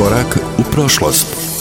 Korak u prošlost.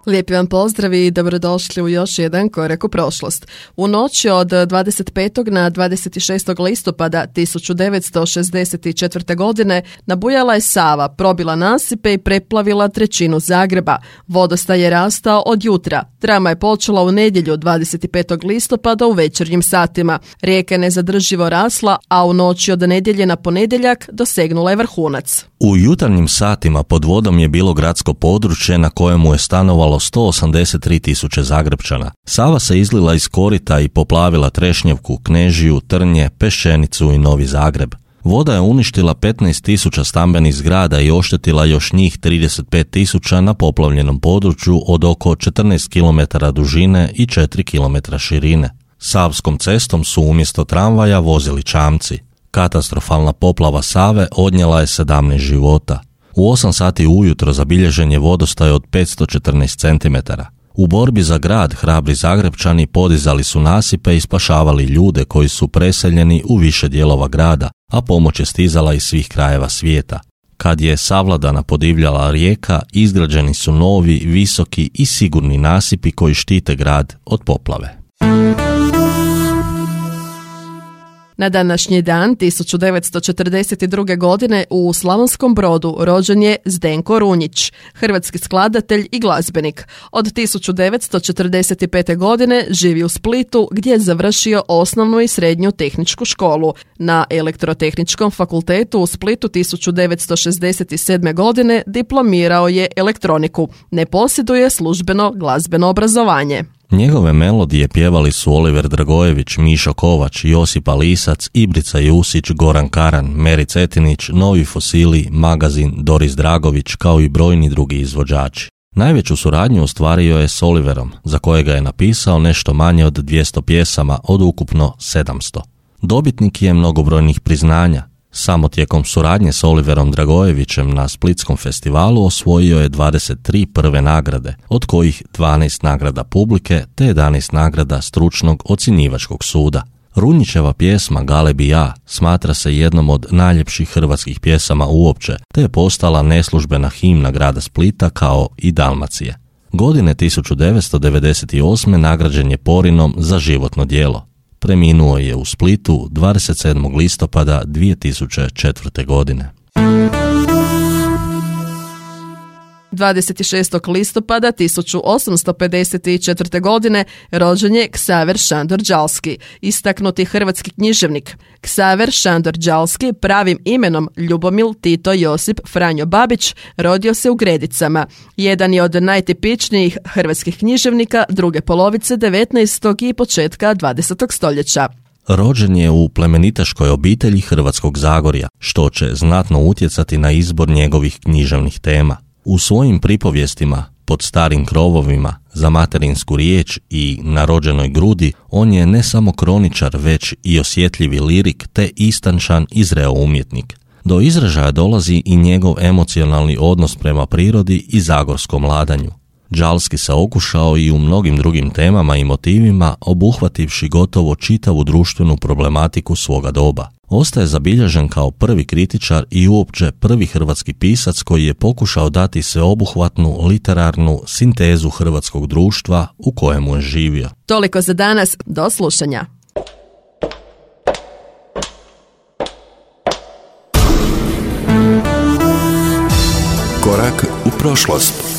Lijepi vam pozdrav i dobrodošli u još jedan korak u prošlost. U noći od 25. na 26. listopada 1964. godine nabujala je Sava, probila nasipe i preplavila trećinu Zagreba. Vodostaj je rastao od jutra. Drama je počela u nedjelju 25. listopada u večernjim satima. Rijeka je nezadrživo rasla, a u noći od nedjelje na ponedjeljak dosegnula je vrhunac. U jutarnjim satima pod vodom je bilo gradsko područje na kojemu je stanovalo 183.000 Zagrepčana. Sava se izlila iz korita i poplavila Trešnjevku, Knežiju, Trnje, Pešćenicu i Novi Zagreb. Voda je uništila 15.000 stambenih zgrada i oštetila još njih 35.000 na poplavljenom području od oko 14 km dužine i 4 km širine. Savskom cestom su umjesto tramvaja vozili čamci. Katastrofalna poplava Save odnijela je 17 života. U 8 sati ujutro zabilježen je vodostaj od 514 cm. U borbi za grad hrabri Zagrepčani podizali su nasipe i spašavali ljude koji su preseljeni u više dijelova grada, a pomoć je stizala iz svih krajeva svijeta. Kad je savladana podivljala rijeka, izgrađeni su novi, visoki i sigurni nasipi koji štite grad od poplave. Na današnji dan 1942. godine u Slavonskom Brodu rođen je Zdenko Runjić, hrvatski skladatelj i glazbenik. Od 1945. godine živi u Splitu gdje je završio osnovnu i srednju tehničku školu. Na Elektrotehničkom fakultetu u Splitu 1967. godine diplomirao je elektroniku. Ne posjeduje službeno glazbeno obrazovanje. Njegove melodije pjevali su Oliver Dragojević, Mišo Kovač, Josipa Lisac, Ibrica Jusić, Goran Karan, Meri Cetinić, Novi Fosili, Magazin, Doris Dragović, kao i brojni drugi izvođači. Najveću suradnju ostvario je s Oliverom, za kojega je napisao nešto manje od 200 pjesama od ukupno 700. Dobitnik je mnogobrojnih priznanja. Samo tijekom suradnje s Oliverom Dragojevićem na Splitskom festivalu osvojio je 23 prve nagrade, od kojih 12 nagrada publike te 11 nagrada stručnog ocjenjivačkog suda. Runjićeva pjesma Galebi ja smatra se jednom od najljepših hrvatskih pjesama uopće, te je postala neslužbena himna grada Splita kao i Dalmacije. Godine 1998. nagrađen je Porinom za životno djelo. Preminuo je u Splitu 27. listopada 2004. godine. 26. listopada 1854. godine rođen je Ksaver Šandor Đalski, istaknuti hrvatski književnik. Ksaver Šandor Đalski, pravim imenom Ljubomil Tito Josip Franjo Babić, rodio se u Gredicama. Jedan je od najtipičnijih hrvatskih književnika druge polovice 19. i početka 20. stoljeća. Rođen je u plemenitaškoj obitelji Hrvatskog Zagorja, što će znatno utjecati na izbor njegovih književnih tema. U svojim pripovjestima Pod starim krovovima, Za materinsku riječ i Na rođenoj grudi on je ne samo kroničar, već i osjetljivi lirik te istančan i zreo umjetnik. Do izražaja dolazi i njegov emocionalni odnos prema prirodi i zagorskom ladanju. Đalski se okušao i u mnogim drugim temama i motivima, obuhvativši gotovo čitavu društvenu problematiku svoga doba. Ostaje zabilježen kao prvi kritičar i uopće prvi hrvatski pisac koji je pokušao dati sveobuhvatnu literarnu sintezu hrvatskog društva u kojemu je živio. Toliko za danas, do slušanja. Korak u prošlost.